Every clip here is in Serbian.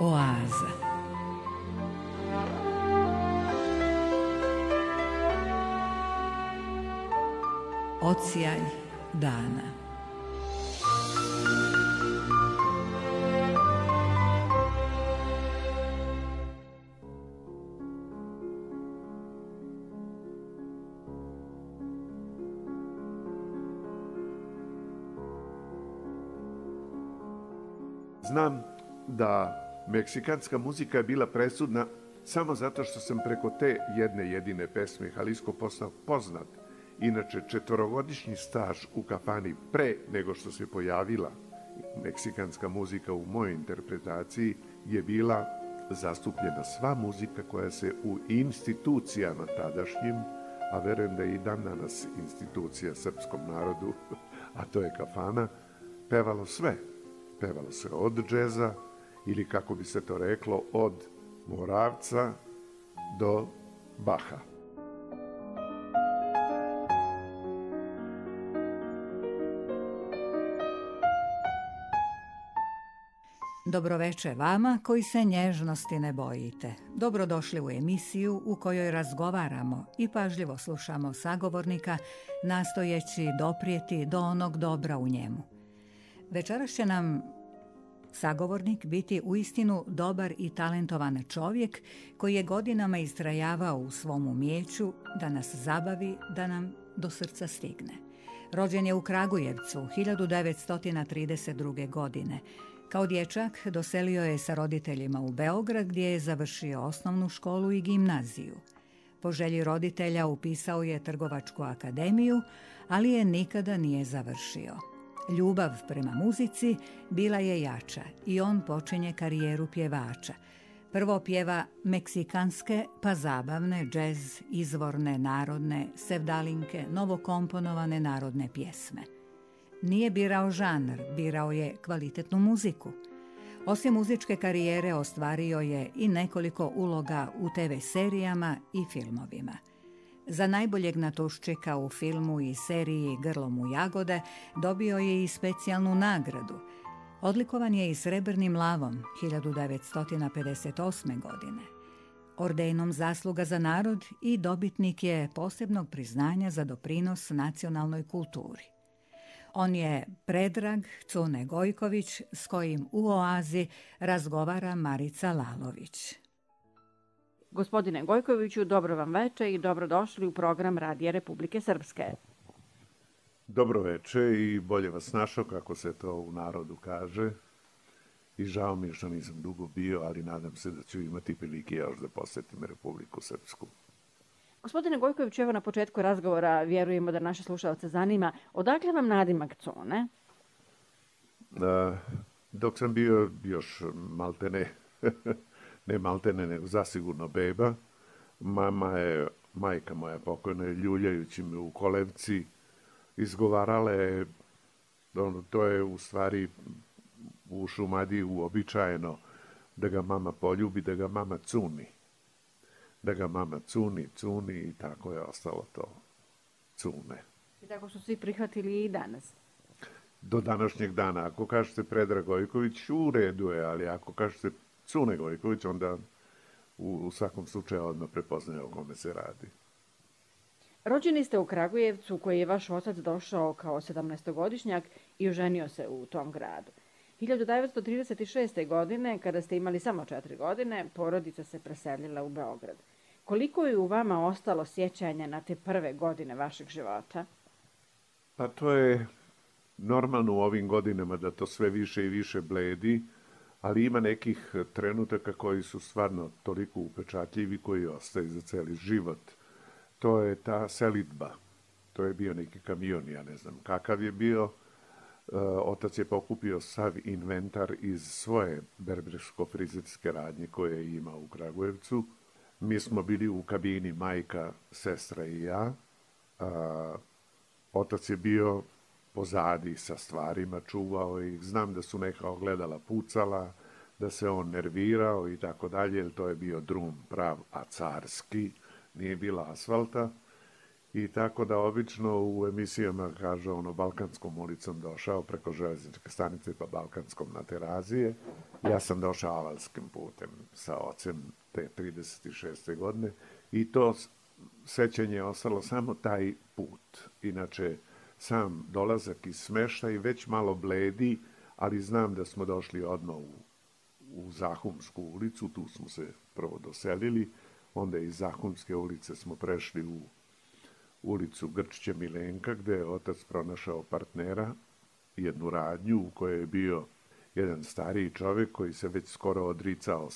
Oaza. Odsjaj dana. Znam da meksikanska muzika je bila presudna samo zato što sam preko te jedne jedine pesme Jalisco postao poznat. Inače, 4-godišnji staž u kafani pre nego što se pojavila meksikanska muzika u mojoj interpretaciji je bila zastupljena sva muzika koja se u institucijama tadašnjim, a verujem da je i dan danas institucija srpskom narodu, a to je kafana, pevalo sve. Pevalo se od džeza ili kako bi se to reklo od Moravca do Baha. Dobroveče vama koji se nježnosti ne bojite. Dobrodošli u emisiju u kojoj razgovaramo i pažljivo slušamo sagovornika, nastojeći doprijeti do onog dobra u njemu. Večeras će nam sagovornik biti uistinu dobar i talentovan čovjek koji je godinama istrajavao u svom umijeću da nas zabavi, da nam do srca stigne. Rođen je u Kragujevcu 1932. godine. Kao dječak doselio je sa roditeljima u Beograd gdje je završio osnovnu školu i gimnaziju. Po želji roditelja upisao je Trgovačku akademiju, ali je nikada nije završio. Ljubav prema muzici bila je jača i on počinje karijeru pjevača. Prvo pjeva meksikanske pa zabavne, džez, izvorne, narodne, sevdalinke, novokomponovane narodne pjesme. Nije birao žanr, birao je kvalitetnu muziku. Osim muzičke karijere ostvario je i nekoliko uloga u TV serijama i filmovima. Za najboljeg natuščika u filmu i seriji Grlom u jagode dobio je i specijalnu nagradu. Odlikovan je i Srebrnim lavom 1958. godine. Ordenom Zasluga za narod i dobitnik je posebnog priznanja za doprinos nacionalnoj kulturi. On je Predrag Cune Gojković s kojim u Oazi razgovara Marica Lalović. Gospodine Gojkoviću, dobro vam veče i dobrodošli u program Radija Republike Srpske. Dobro veče i bolje vas našao, kako se to u narodu kaže. I žao mi je što nisam dugo bio, ali nadam se da ću imati prilike još da posetim Republiku Srpsku. Gospodine Gojkoviću, evo na početku razgovora vjerujemo da naše slušalce zanima odakle vam nadimak Cune? Dok sam bio još maltene, ne maltene, nego zasigurno beba, majka moja pokojna, ljuljajući me u kolevci, izgovarala je, to je u stvari u Šumadiji uobičajeno, da ga mama poljubi, da ga mama cuni. Da ga mama cuni i tako je ostalo to, Cune. I tako su svi prihvatili i danas? Do današnjeg dana. Ako kažete Predrag Gojković, u redu je, ali ako kažete Cune Gojković, onda u svakom slučaju odmah prepoznaje o kome se radi. Rođeni ste u Kragujevcu, koji je vaš otac došao kao 17-godišnjak i oženio se u tom gradu. 1936. godine, kada ste imali samo 4 godine, porodica se preselila u Beograd. Koliko je u vama ostalo sjećanja na te prve godine vašeg života? Pa to je normalno u ovim godinama da to sve više i više bledi, ali ima nekih trenutaka koji su stvarno toliko upečatljivi koji ostaju za cijeli život. To je ta selidba. To je bio neki kamion, ja ne znam kakav je bio. Otac je pokupio sav inventar iz svoje berbersko-frizerske radnje koje je imao u Kragujevcu. Mi smo bili u kabini, majka, sestra i ja. Otac je bio pozadi sa stvarima, čuvao ih. Znam da su neka ogledala pucala, da se on nervirao i tako dalje, jer to je bio drum prav, a carski, nije bilo asfalta. I tako da obično u emisijama kaže ono Balkanskom ulicom došao preko železničke stanice pa Balkanskom na Terazije. Ja sam došao avalskim putem sa ocem te 36. godine i to sećanje je ostalo samo taj put. Inače, sam dolazak iz smeštaja već malo bledi, ali znam da smo došli odmah u Zahumsku ulicu, tu smo se prvo doselili, onda iz Zahumske ulice smo prešli u ulicu Grčića Milenka, gde je otac pronašao partnera, jednu radnju u kojoj je bio jedan stariji čovjek koji se već skoro odricao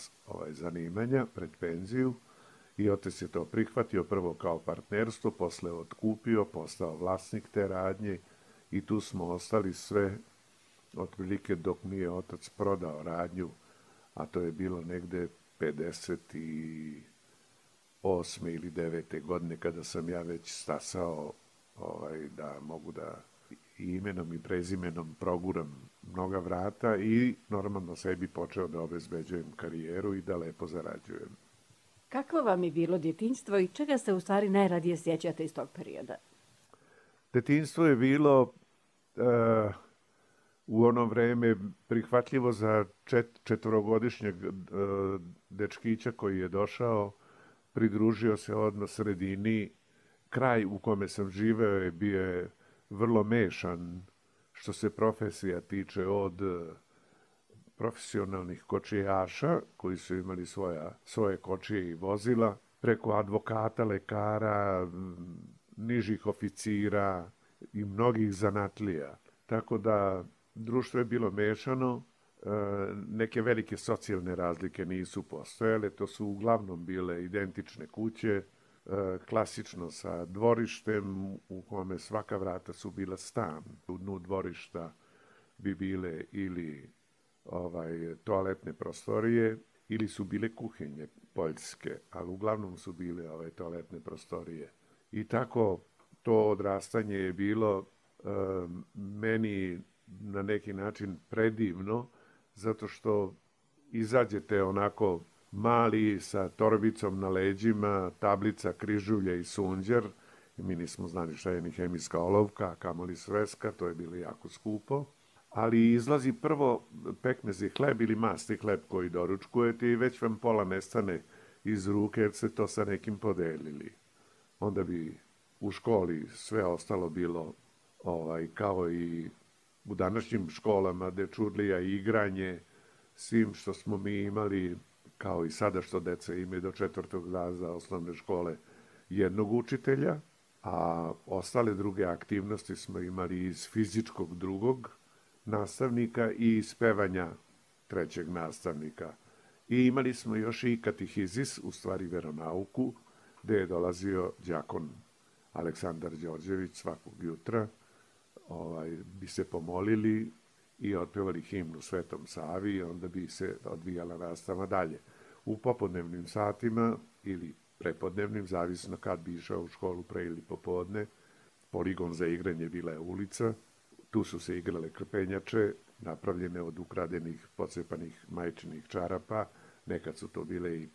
zanimanja pred penziju i otac je to prihvatio prvo kao partnerstvo, posle otkupio, postao vlasnik te radnje i tu smo ostali sve otprilike dok nije otac prodao radnju, a to je bilo negde 58. ili 9. godine kada sam ja već stasao da mogu da imenom i prezimenom proguram mnoga vrata i normalno sebi počeo da obezbeđujem karijeru i da lepo zarađujem. Kakvo vam je bilo djetinjstvo i čega se u stvari najradije sjećate iz tog perioda? Detinjstvo je bilo u ono vreme prihvatljivo za četvorogodišnjeg dečkića koji je došao, pridružio se odmah sredini. Kraj u kome sam živeo je bio vrlo mešan što se profesija tiče, od profesionalnih kočijaša koji su imali svoje kočije i vozila, preko advokata, lekara, nižih oficira i mnogih zanatlija. Tako da društvo je bilo mešano, neke velike socijalne razlike nisu postojale, to su uglavnom bile identične kuće, klasično sa dvorištem u kome svaka vrata su bila stan. U dnu dvorišta bi bile ili toaletne prostorije ili su bile kuhinje poljske, ali uglavnom su bile toaletne prostorije. I tako to odrastanje je bilo meni na neki način predivno, zato što izađete onako mali sa torbicom na leđima, tablica, križulje i sunđer. Mi nismo znali šta je ni hemijska olovka, kamoli sveska, to je bilo jako skupo. Ali izlazi prvo pekmezi hleb ili masti hleb koji doručkujete i već vam pola nestane iz ruke jer ste to sa nekim podelili. Onda bi u školi sve ostalo bilo kao i u današnjim školama, dečurlija i igranje, svim što smo mi imali, kao i sada što deca imaju do 4. razreda osnovne škole, jednog učitelja, a ostale druge aktivnosti smo imali iz fizičkog drugog nastavnika i iz pevanja trećeg nastavnika. I imali smo još i katehizis, u stvari veronauku, gde je dolazio đakon Aleksandar Đorđević svakog jutra, bi se pomolili i otpevali himnu Svetom Savi i onda bi se odvijala nastava dalje. U popodnevnim satima ili prepodnevnim, zavisno kad bi išao u školu pre ili popodne, poligon za igranje bila je ulica, tu su se igrale krpenjače, napravljene od ukradenih, pocepanih majčinih čarapa, nekad su to bile i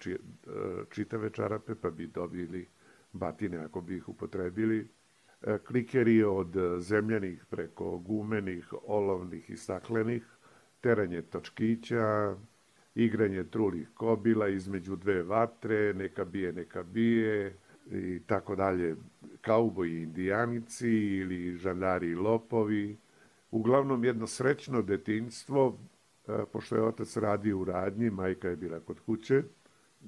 čitave čarape, pa bi dobili batine ako bi ih upotrebili, klikeri od zemljanih preko gumenih, olovnih i staklenih, teranje točkića, igranje trulih kobila između dve vatre, neka bije i tako dalje, kauboji i indijanici ili žandari i lopovi. Uglavnom jedno srećno detinjstvo, pošto je otac radio u radnji, majka je bila kod kuće.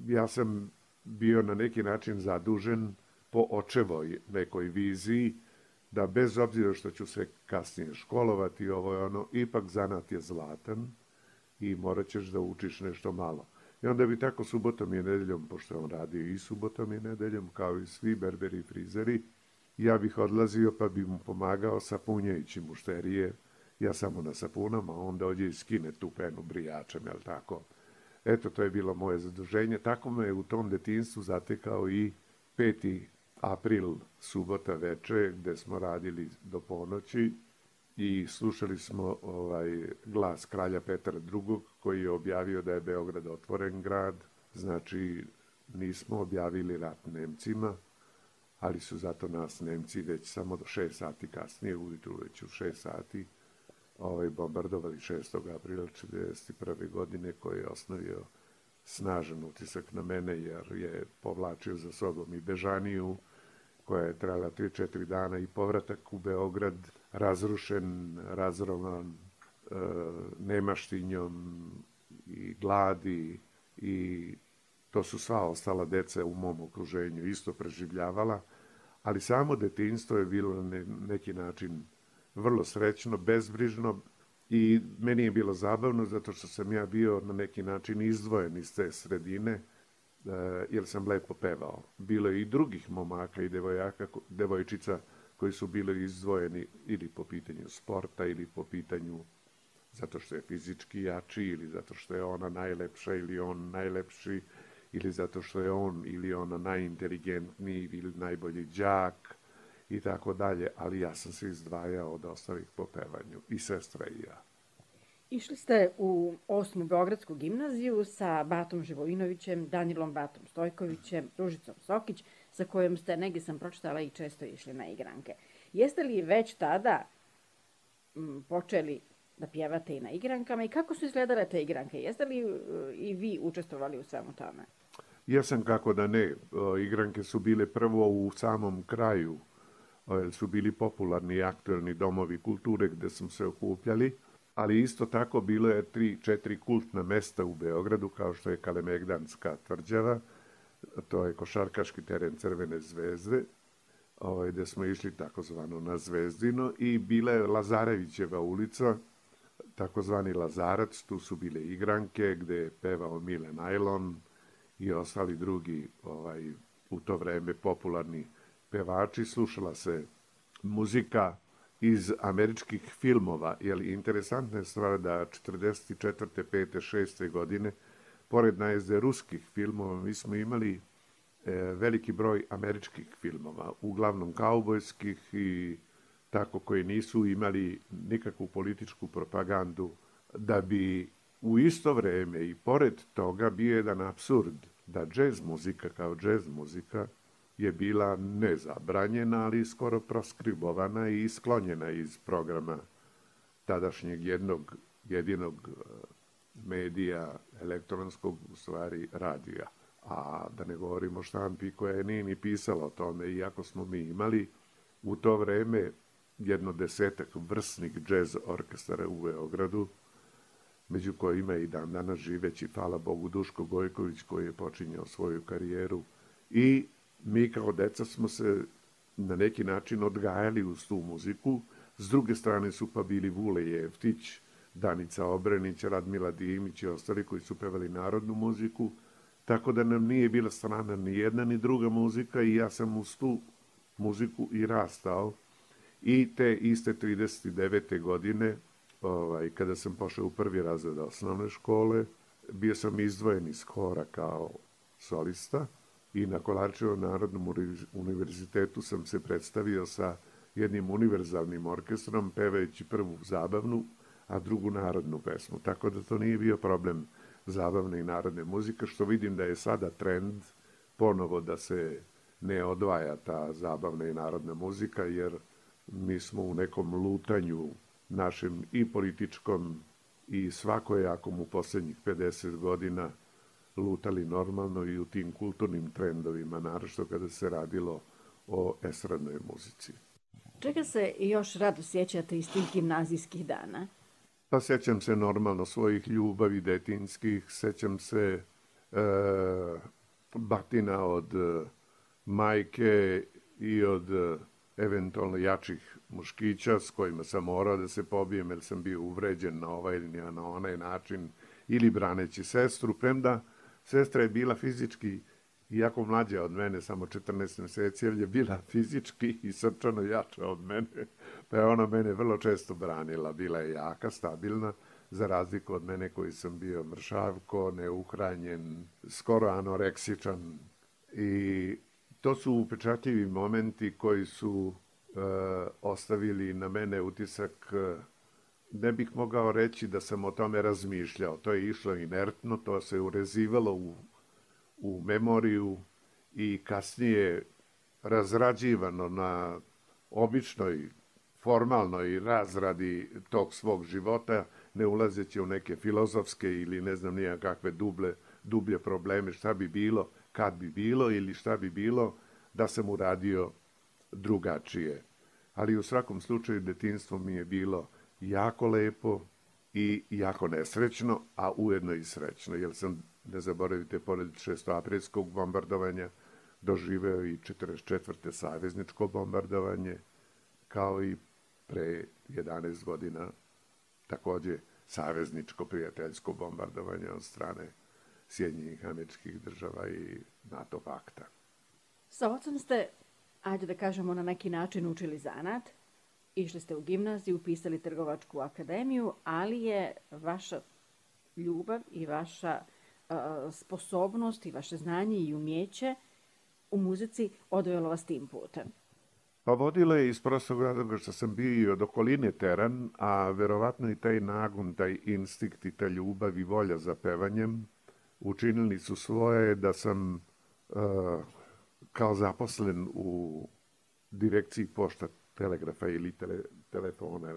Ja sam bio na neki način zadužen po očevoj nekoj viziji, da bez obzira što ću se kasnije školovati, ipak zanat je zlatan i morat ćeš da učiš nešto malo. I onda bi tako subotom i nedeljom, pošto on radio i subotom i nedeljom, kao i svi berberi i frizeri, ja bih odlazio pa bi mu pomagao sapunjajući mušterije, ja samo na sapunama, a on dođe i skine tu penu brijačem, jel tako? Eto, to je bilo moje zaduženje. Tako me je u tom detinjstvu zatekao i 5. april, subota veče, gde smo radili do ponoći i slušali smo glas kralja Petra II. Koji je objavio da je Beograd otvoren grad, znači nismo objavili rat Nemcima, ali su zato nas Nemci već samo do 6 sati kasnije, ujutru već u 6 sati, bombardovali 6. aprila 1941. godine, koji je ostavio snažan utisak na mene, jer je povlačio za sobom i Bežaniju, koja je trajala 3-4 dana, i povratak u Beograd, razrušen, razrovan nemaštinjom i gladi, i to su sva ostala deca u mom okruženju isto preživljavala, ali samo detinjstvo je bilo na neki način vrlo srećno, bezbrižno, i meni je bilo zabavno zato što sam ja bio na neki način izdvojen iz te sredine, jer sam lepo pevao. Bilo je i drugih momaka i devojčica koji su bili izdvojeni ili po pitanju sporta, ili po pitanju zato što je fizički jači, ili zato što je ona najlepša ili on najlepši, ili zato što je on ili ona najinteligentniji ili najbolji đak i tako dalje, ali ja sam se izdvajao od ostalih po pevanju, i sestra i ja. Išli ste u 8. Beogradsku gimnaziju sa Batom Živojinovićem, Danilom Batom Stojkovićem, Ružicom Sokić, sa kojom ste, negdje sam pročitala, i često išli na igranke. Jeste li već tada počeli da pjevate i na igrankama, i kako su izgledale te igranke? Jeste li i vi učestvovali u svemu tome? Jesam, kako da ne. Igranke su bile prvo u samom kraju, su bili popularni i aktuelni domovi kulture gde smo se okupljali, ali isto tako bilo je 3-4 kultna mesta u Beogradu, kao što je Kalemegdanska tvrđava, to je košarkaški teren Crvene zvezde, gde smo išli takozvano na Zvezdino, i bila je Lazarevićeva ulica, takozvani Lazarac, tu su bile igranke gde je pevao Mile Najlon i ostali drugi u to vreme popularni pevači. Slušala se muzika iz američkih filmova, jer interesantna je stvar da 44. 5. 6. godine, pored najezde ruskih filmova, mi smo imali veliki broj američkih filmova, uglavnom kaubojskih i tako, koji nisu imali nikakvu političku propagandu, da bi u isto vreme i pored toga bio jedan apsurd da džez muzika kao džez muzika je bila nezabranjena, ali skoro proskribovana i isklonjena iz programa tadašnjeg jedinog medija, elektronskog, u stvari radija. A da ne govorimo o štampi koja nije ni pisala o tome, iako smo mi imali u to vreme jedno 10-ak vrsnih džez orkestara u Beogradu, među kojima i dan danas živeći, hvala Bogu, Duško Gojković, koji je počinjao svoju karijeru, i mi kao deca smo se na neki način odgajali uz tu muziku. S druge strane su pa bili Vule Jeftić, Danica Obrenić, Radmila Dimić i ostali koji su pevali narodnu muziku, tako da nam nije bila strana ni jedna ni druga muzika, i ja sam uz tu muziku i rastao. I te iste 39. godine, kada sam pošao u 1. razred osnovne škole, bio sam izdvojen iz hora kao solista, i na Kolarčevom narodnom univerzitetu sam se predstavio sa jednim univerzalnim orkestrom, pevajući prvu zabavnu, a drugu narodnu pesmu. Tako da to nije bio problem zabavne i narodne muzike, što vidim da je sada trend ponovo da se ne odvaja ta zabavna i narodna muzika, jer mi smo u nekom lutanju našem i političkom i svakojakom u poslednjih 50 godina lutali normalno i u tim kulturnim trendovima, naročito kada se radilo o estradnoj muzici. Čega se još rado sjećate iz tih gimnazijskih dana? Pa sećam se normalno svojih ljubavi detinjskih, sećam se batina od majke i od eventualno jačih muškića s kojima sam morao da se pobijem, jer sam bio uvređen na ovaj ili na onaj način, ili braneći sestru, premda sestra je bila fizički iako mlađa od mene, samo 14 meseci, jer je bila fizički i srčano jača od mene, pa je ona mene vrlo često branila. Bila je jaka, stabilna, za razliku od mene koji sam bio mršavko, neuhranjen, skoro anoreksičan. I to su upečatljivi momenti koji su ostavili na mene utisak. Ne bih mogao reći da sam o tome razmišljao. To je išlo inertno, to se urezivalo u memoriju i kasnije razrađivano na običnoj, formalnoj razradi tog svog života, ne ulazeći u neke filozofske ili ne znam nija kakve dublje probleme, šta bi bilo, kad bi bilo ili šta bi bilo da sam uradio drugačije. Ali u svakom slučaju detinjstvo mi je bilo jako lepo i jako nesrećno, a ujedno i srećno, jer sam, ne zaboravite, pored 6. aprilskog bombardovanja doživeo i 44. savezničko bombardovanje, kao i pre 11 godina takođe savezničko prijateljsko bombardovanje od strane Sjedinjenih Američkih Država i NATO pakta. Sa ocem ste, ajde da kažemo, na neki način učili zanat, išli ste u gimnaziju, upisali Trgovačku akademiju, ali je vaša ljubav i vaša sposobnost i vaše znanje i umjeće u muzici odvelo vas tim putem. Pa vodilo je iz prostog razloga što sam bio i od okoline teran, a verovatno i taj nagon, taj instinkt i ta ljubav i volja za pevanjem učinili su svoje da sam kao zaposlen u direkciji pošta, telegrafa ili telefona,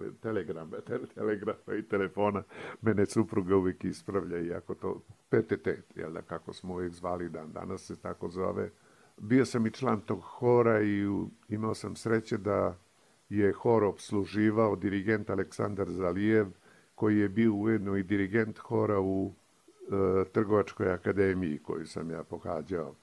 telegrafa i telefona, mene supruga uvijek ispravlja, iako to PTT, jel da, kako smo uvijek zvali danas se tako zove. Bio sam i član tog hora i imao sam sreće da je hor opsluživao dirigent Aleksandar Zalijev, koji je bio ujedno i dirigent hora u Trgovačkoj akademiji koju sam ja pohađao.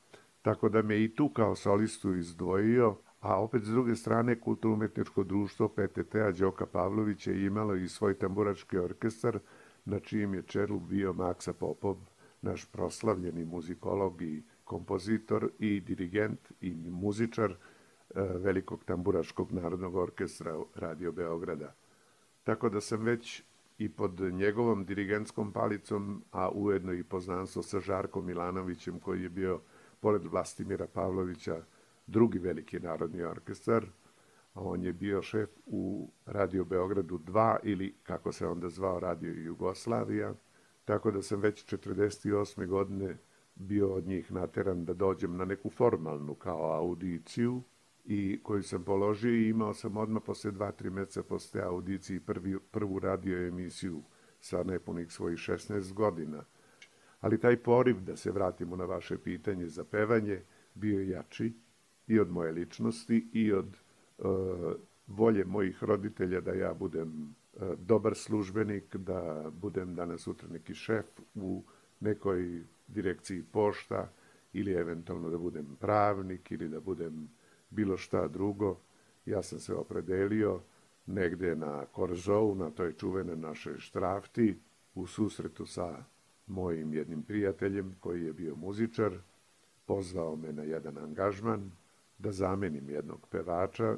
Tako da me i tu kao solistu izdvojio, a opet s druge strane Kulturno-umetničko društvo PTT-a Đoka Pavlović je imalo i svoj tamburački orkestar, na čijem je čelu bio Maksa Popov, naš proslavljeni muzikolog i kompozitor i dirigent i muzičar velikog tamburaškog narodnog orkestra Radio Beograda. Tako da sam već i pod njegovom dirigentskom palicom, a ujedno i poznanstvo sa Žarkom Milanovićem, koji je bio, pored Vlastimira Pavlovića, drugi veliki narodni orkestar, a on je bio šef u Radio Beogradu 2 ili, kako se onda zvao, Radio Jugoslavija, tako da sam već 48. godine bio od njih nateran da dođem na neku formalnu kao audiciju i koju sam položio i imao sam odmah posle 2-3 meseca posle audicije prvu radio emisiju sa nepunih svojih 16 godina. Ali taj poriv, da se vratimo na vaše pitanje za pevanje, bio je jači i od moje ličnosti i od volje mojih roditelja da ja budem dobar službenik, da budem danas sutra neki šef u nekoj direkciji pošta ili eventualno da budem pravnik ili da budem bilo šta drugo. Ja sam se opredelio negde na Korzou, na toj čuvene našoj štrafti, u susretu sa mojim jednim prijateljem koji je bio muzičar, pozvao me na jedan angažman da zamenim jednog pevača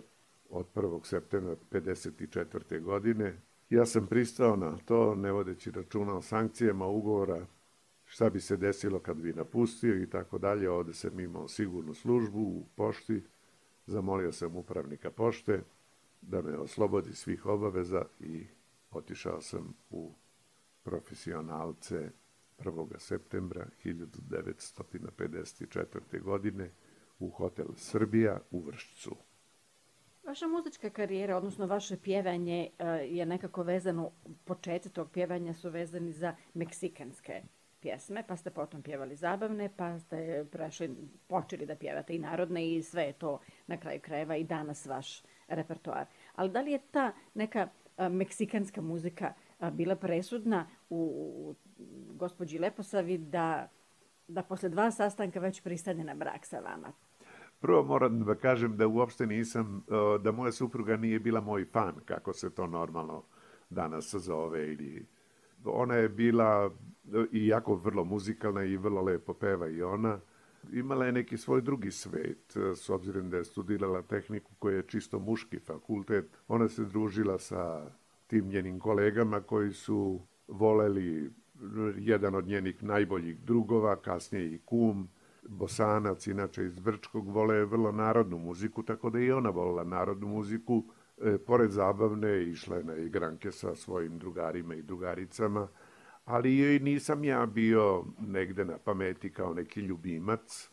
od 1. septembra 1954. godine. Ja sam pristao na to, ne vodeći računa o sankcijama ugovora, šta bi se desilo kad bi napustio i tako dalje. Ovde sam imao sigurnu službu u pošti, zamolio sam upravnika pošte da me oslobodi svih obaveza i otišao sam u profesionalce 1. septembra 1954. godine u hotel Srbija u Vršcu. Vaša muzička karijera, odnosno vaše pjevanje je nekako vezano, početci tog pjevanja su vezani za meksikanske pjesme, pa ste potom pjevali zabavne, pa ste počeli da pjevate i narodne i sve je to na kraju krajeva i danas vaš repertoar. Ali da li je ta neka meksikanska muzika bila presudna u gospođi Leposavi da posle 2 sastanka već pristane na brak sa vama? Prvo moram da kažem da uopšte nisam, da moja supruga nije bila moj fan, kako se to normalno danas zove. Ona je bila i jako vrlo muzikalna i vrlo lepo peva i ona. Imala je neki svoj drugi svet, s obzirom da je studirala tehniku koja je čisto muški fakultet. Ona se družila sa tim njenim kolegama koji su voleli, jedan od njenih najboljih drugova, kasnije i kum, Bosanac, inače iz Brčkog, vole vrlo narodnu muziku, tako da i ona volila narodnu muziku. Pored zabavne, išla je na igranke sa svojim drugarima i drugaricama, ali joj nisam ja bio negde na pameti kao neki ljubimac.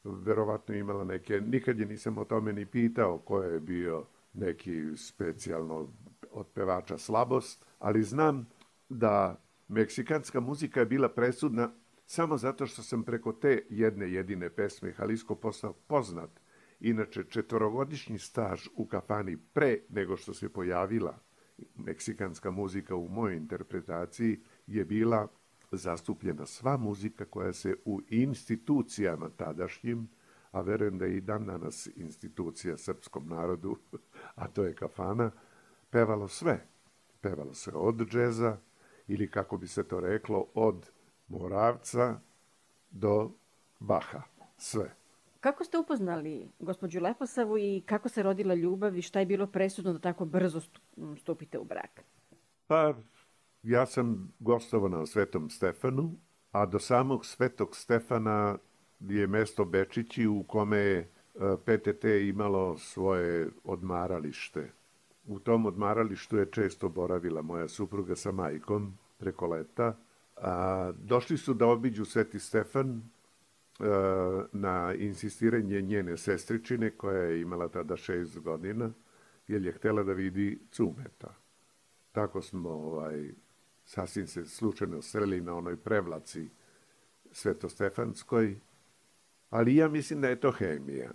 verovatno imala neke, nikad je nisam o tome ni pitao ko je bio neki specijalno od pevača slabost, ali znam da meksikanska muzika je bila presudna samo zato što sam preko te jedne jedine pesme Jalisco postao poznat. Inače, 4-godišnji staž u kafani pre nego što se pojavila meksikanska muzika u mojoj interpretaciji je bila zastupljena sva muzika koja se u institucijama tadašnjim, a verujem da je i dan danas institucija srpskom narodu, a to je kafana, pevalo sve. Pevalo se od džeza, ili kako bi se to reklo, od Moravca do Baha. Sve. Kako ste upoznali gospođu Leposavu i kako se rodila ljubav i šta je bilo presudno da tako brzo stupite u brak? Pa, ja sam gostovao na Svetom Stefanu, a do samog Svetog Stefana je mesto Bečići u kome je PTT imalo svoje odmaralište. U tom odmaralištu je često boravila moja supruga sa majkom preko leta. Došli su da obiđu Sveti Stefan na insistiranje njene sestričine, koja je imala tada 6 godina, jer je htela da vidi Cumeta. Tako smo sasvim se slučajno sreli na onoj prevlaci Svetostefanskoj, ali ja mislim da je to hemija.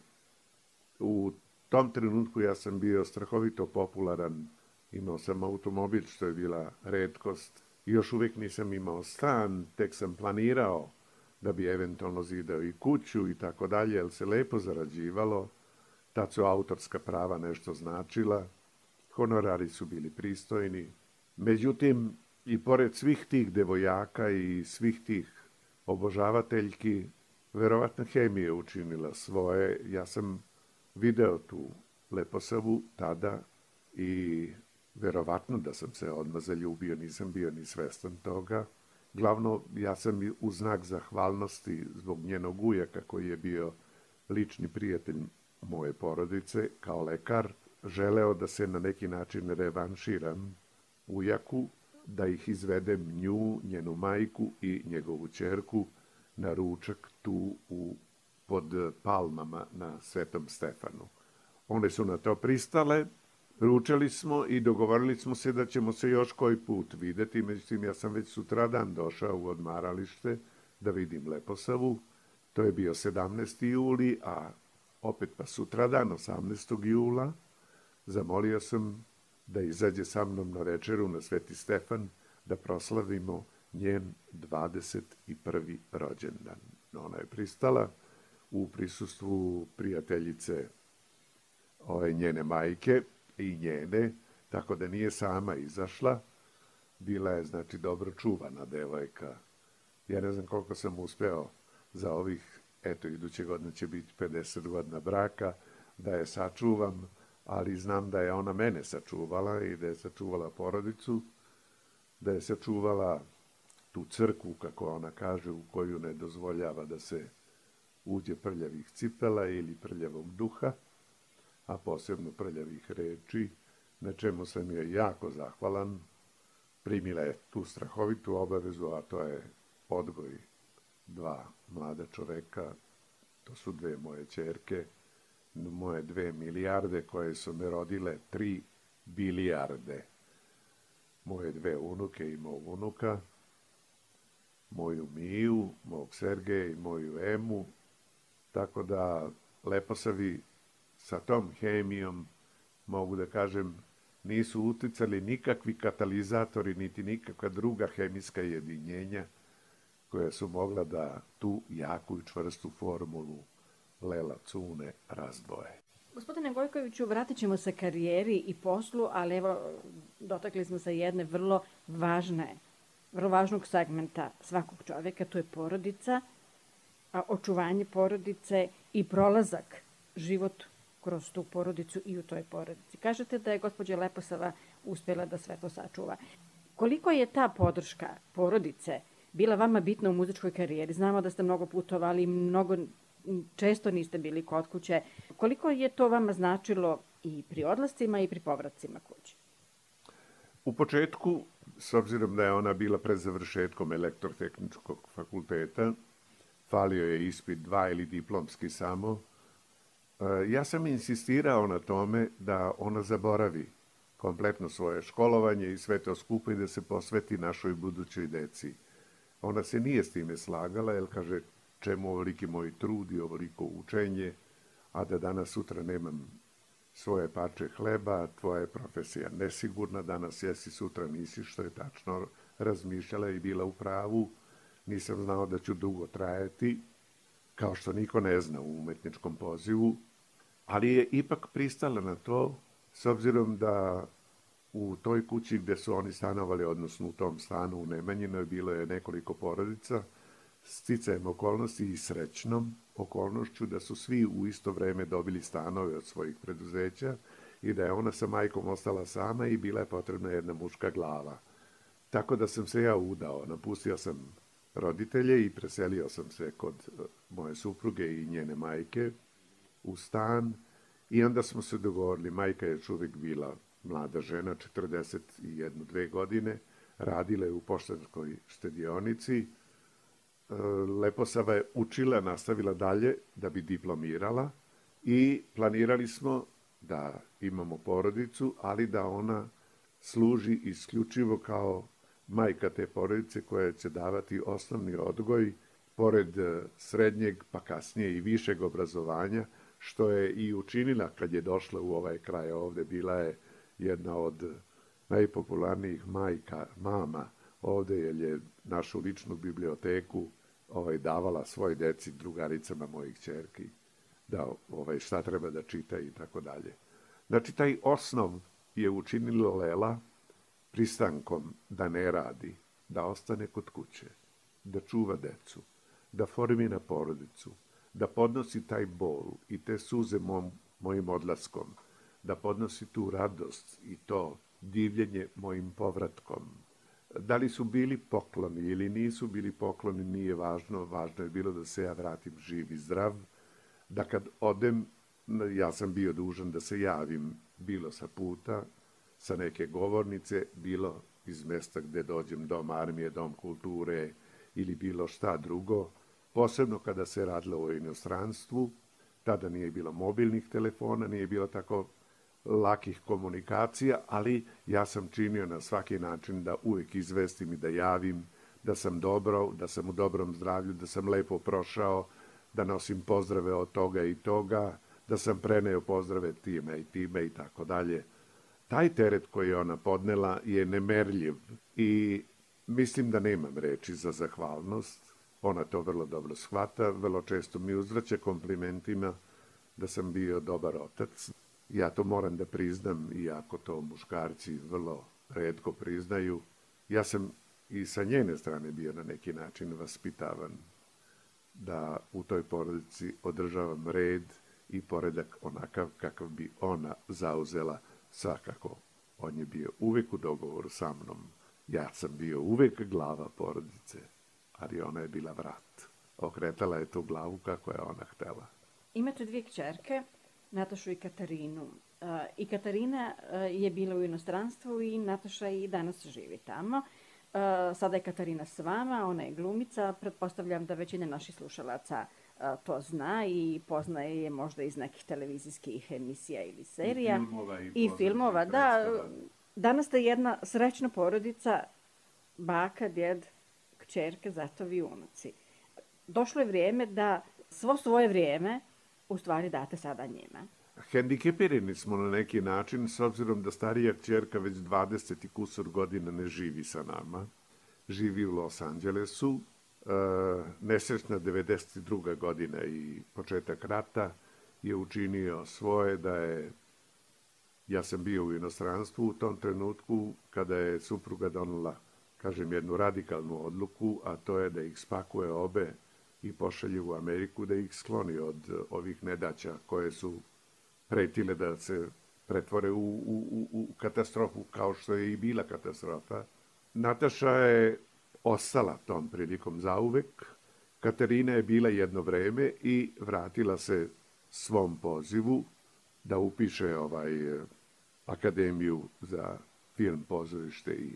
U tom trenutku ja sam bio strahovito popularan, imao sam automobil, što je bila retkost, i još uvijek nisam imao stan, tek sam planirao da bi eventualno zidao i kuću i tako dalje, jer se lepo zarađivalo, tad su autorska prava nešto značila, honorari su bili pristojni. Međutim, i pored svih tih devojaka i svih tih obožavateljki, verovatno hemija učinila svoje. Ja sam video tu Leposavu tada i verovatno da sam se odmah zaljubio, nisam bio ni svestan toga. Glavno, ja sam u znak zahvalnosti zbog njenog ujaka, koji je bio lični prijatelj moje porodice, kao lekar, želeo da se na neki način revanširam ujaku, da ih izvedem nju, njenu majku i njegovu ćerku na ručak tu pod palmama na Svetom Stefanu. One su na to pristale, ručali smo i dogovorili smo se da ćemo se još koji put videti. Međutim, ja sam već sutradan došao u odmaralište da vidim Leposavu. To je bio 17. juli, a opet pa sutradan, 18. jula, zamolio sam da izađe sa mnom na večeru na Sveti Stefan, da proslavimo njen 21. rođendan. Ona je pristala u prisustvu prijateljice njene majke i njene, tako da nije sama izašla. Bila je, znači, dobro čuvana devojka. Ja ne znam koliko sam uspeo za ovih, iduće godine će biti 50 godina braka, da je sačuvam, ali znam da je ona mene sačuvala i da je sačuvala porodicu, da je sačuvala tu crkvu, kako ona kaže, u koju ne dozvoljava da se uđe prljavih cipela ili prljavog duha, a posebno prljavih reči, na čemu sam joj jako zahvalan. Primila je tu strahovitu obavezu, a to je odgoj 2 mlada čoveka, to su 2 moje ćerke, moje 2 milijarde koje su me rodile 3 bilijarde. Moje 2 unuke i mog unuka, moju Miju, mog Sergeja i moju Emu, tako da Leposavi sa tom hemijom, mogu da kažem, nisu uticali nikakvi katalizatori, niti nikakva druga hemijska jedinjenja koja su mogla da tu jaku i čvrstu formulu Lela Cune razdvoje. Gospodine Gojkoviću, vratit ćemo se karijeri i poslu, ali evo, dotakli smo se jedne vrlo važnog segmenta svakog čovjeka, to je porodica, a očuvanje porodice i prolazak, život kroz tu porodicu i u toj porodici. Kažete da je gospođa Leposava uspjela da sve to sačuva. Koliko je ta podrška porodice bila vama bitna u muzičkoj karijeri? Znamo da ste mnogo putovali, mnogo često niste bili kod kuće. Koliko je to vama značilo i pri odlascima i pri povracima kući? U početku, s obzirom da je ona bila pred završetkom elektrotehničkog fakulteta, falio je ispit 2 ili diplomski samo. Ja sam insistirao na tome da ona zaboravi kompletno svoje školovanje i sve to skupo i da se posveti našoj budućoj deci. Ona se nije s time slagala, jer kaže, čemu ovoliki moj trud i ovoliko učenje, a da danas sutra nemam svoje parče hleba, tvoja je profesija nesigurna, danas jesi, sutra nisi, što je tačno razmišljala i bila u pravu. Nisam znao da ću dugo trajati, kao što niko ne zna u umetničkom pozivu, ali je ipak pristala na to, s obzirom da u toj kući gde su oni stanovali, odnosno u tom stanu u Nemanjinoj, bilo je nekoliko porodica, sticajem okolnosti i srećnom okolnošću da su svi u isto vreme dobili stanove od svojih preduzeća i da je ona sa majkom ostala sama i bila je potrebna jedna muška glava. Tako da sam se ja udao, napustio sam roditelje i preselio sam se kod moje supruge i njene majke u stan i onda smo se dogovorili, majka je još uvijek bila mlada žena, 41-2 godine, radila je u poštanskoj štedionici, Leposava je učila, nastavila dalje da bi diplomirala i planirali smo da imamo porodicu, ali da ona služi isključivo kao majka te porodice koja će davati osnovni odgoj, pored srednjeg pa kasnije i višeg obrazovanja, što je i učinila kad je došla u ovaj kraj ovde. Bila je jedna od najpopularnijih mama ovde, jer je našu ličnu biblioteku davala svoj deci, drugaricama mojih ćerki, da šta treba da čita i tako dalje. Znači, taj osnov je učinila Lela pristankom da ne radi, da ostane kod kuće, da čuva decu, da formira porodicu, da podnosi taj bol i te suze mojim odlaskom, da podnosi tu radost i to divljenje mojim povratkom. Da li su bili pokloni ili nisu bili pokloni, nije važno. Važno je bilo da se ja vratim živ i zdrav, da kad odem, ja sam bio dužan da se javim, bilo sa puta, sa neke govornice, bilo iz mesta gde dođem, dom armije, dom kulture ili bilo šta drugo, posebno kada se radilo o inostranstvu. Tada nije bilo mobilnih telefona, nije bilo tako lakih komunikacija, ali ja sam činio na svaki način da uvijek izvestim i da javim da sam dobro, da sam u dobrom zdravlju, da sam lepo prošao, da nosim pozdrave od toga i toga, da sam preneo pozdrave time i tako dalje. Taj teret koji je ona podnela je nemerljiv i mislim da nemam reči za zahvalnost. Ona to vrlo dobro shvata, vrlo često mi uzvraća komplimentima da sam bio dobar otac. Ja to moram da priznam, iako to muškarci vrlo retko priznaju. Ja sam i sa njene strane bio na neki način vaspitavan da u toj porodici održavam red i poredak onakav kakav bi ona zauzela. Svakako, on je bio uvek u dogovoru sa mnom. Ja sam bio uvek glava porodice, ali ona je bila vrat. Okretala je tu glavu kako je ona htela. Imate 2 kćerke, Natašu i Katarinu. I Katarina je bila u inostranstvu i Nataša i danas živi tamo. Sada je Katarina s vama, ona je glumica. Pretpostavljam da većina naših slušalaca to zna i poznaje je možda iz nekih televizijskih emisija ili serija. I filmova, da. Danas ste jedna srećna porodica, baka, djed, kćerke, zatovi i unuci. Došlo je vrijeme da svo svoje vrijeme u stvari date sada njima. Hendikepirani smo na neki način, s obzirom da starija kćerka već 20 i kusur godina ne živi sa nama. Živi u Los Angelesu. Nesrećna 92. godina i početak rata je učinio svoje da je... Ja sam bio u inostranstvu u tom trenutku kada je supruga donela, kažem, jednu radikalnu odluku, a to je da ih spakuje obe i pošalje u Ameriku, da ih skloni od ovih nedaća koje su pretile da se pretvore u katastrofu, kao što je i bila katastrofa. Nataša je ostala tom prilikom zauvek. Katarina je bila jedno vreme i vratila se svom pozivu da upiše Akademiju za film, pozorište i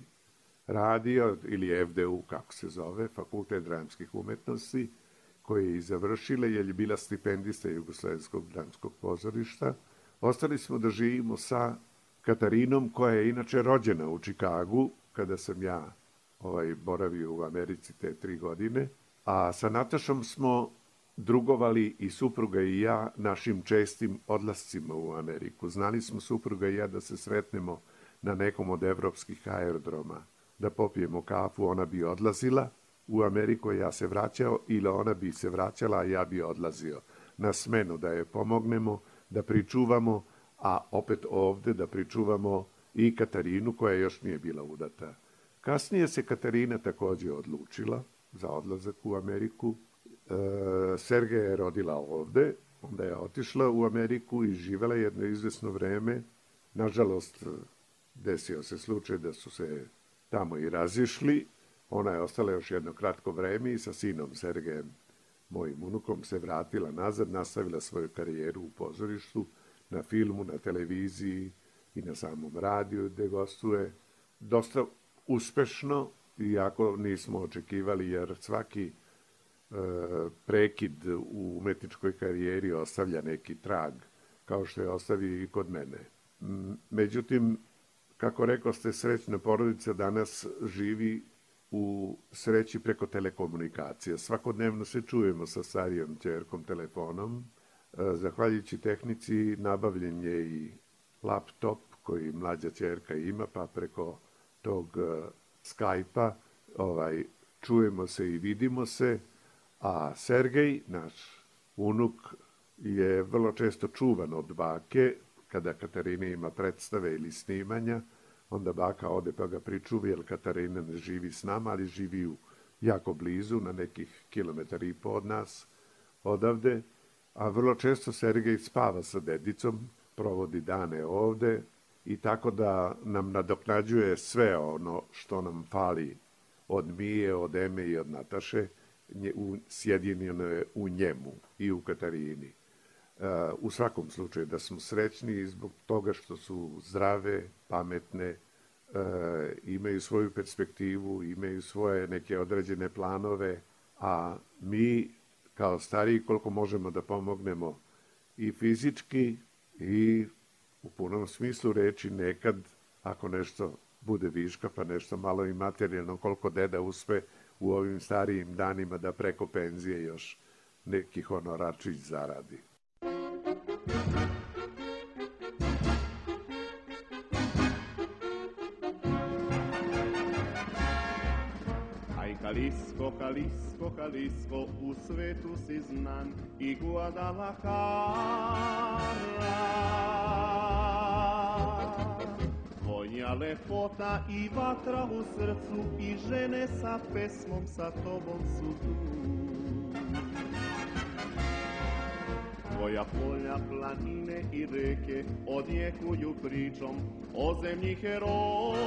radio, ili FDU, kako se zove, Fakultet dramskih umetnosti, koje je i završila, jer je bila stipendista Jugoslovenskog dramskog pozorišta. Ostali smo da živimo sa Katarinom, koja je inače rođena u Čikagu, kada sam ja boravio u Americi te 3 godine. A sa Natašom smo drugovali i supruga i ja našim čestim odlascima u Ameriku. Znali smo supruga i ja da se sretnemo na nekom od evropskih aerodroma, da popijemo kafu, ona bi odlazila u Ameriku, ja se vraćao, ili ona bi se vraćala, a ja bi odlazio na smenu da je pomognemo, da pričuvamo, a opet ovde da pričuvamo i Katarinu, koja još nije bila udata. Kasnije se Katarina takođe odlučila za odlazak u Ameriku. Sergeja je rodila ovde, onda je otišla u Ameriku i živela jedno izvesno vreme. Nažalost, desio se slučaj da su se tamo i razišli. Ona je ostala još jedno kratko vreme i sa sinom Sergejem, mojim unukom, se vratila nazad, nastavila svoju karijeru u pozorištu, na filmu, na televiziji i na samom radiju gde gostuje. Dosta uspešno, iako nismo očekivali, jer svaki prekid u umetničkoj karijeri ostavlja neki trag, kao što je ostavio i kod mene. Međutim, kako rekao ste, srećna porodica danas živi u sreći preko telekomunikacija. Svakodnevno se čujemo sa starijom ćerkom telefonom. Zahvaljujući tehnici nabavljen je i laptop koji mlađa ćerka ima, pa preko tog Skype-a čujemo se i vidimo se. A Sergej, naš unuk, je vrlo često čuvan od bake. Kada Katarina ima predstave ili snimanja, onda baka ode pa ga pričuvi, jer Katarina ne živi s nama, ali živi jako blizu, na nekih 1,5 km od nas, odavde. A vrlo često Sergej spava sa dedicom, provodi dane ovde i tako da nam nadoknađuje sve ono što nam fali od Mije, od Eme i od Nataše, sjedinjeno je u njemu i u Katarini. U svakom slučaju da smo srećni zbog toga što su zdrave, pametne, imaju svoju perspektivu, imaju svoje neke određene planove, a mi kao stariji koliko možemo da pomognemo i fizički i u punom smislu reči nekad, ako nešto bude viška, pa nešto malo i materijalno, koliko deda uspe u ovim starijim danima da preko penzije još neki honorarčić zaradi. Aj Kalisko, Kalisko, Kalisko, u svetu si znan i Guadalajara. Tvoja lepota i vatra u srcu i žene sa pesmom sa tobom su tu. Tvoja polja, planine i reke odjekuju pričom o zemlji heroja.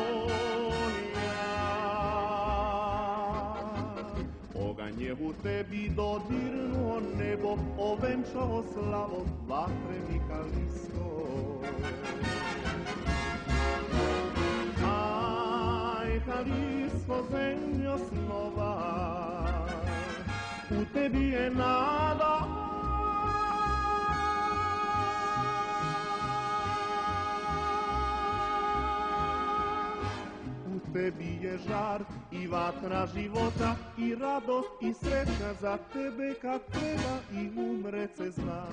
Oganj je u tebi dodirnuo nebo, ovenčao slavom vatreni Kalisko. Aj, Kalisko, zemljo snova, u tebi je nada. U tebi je žar i vatra života i radost i sreća za tebe kad treba i umret se zna.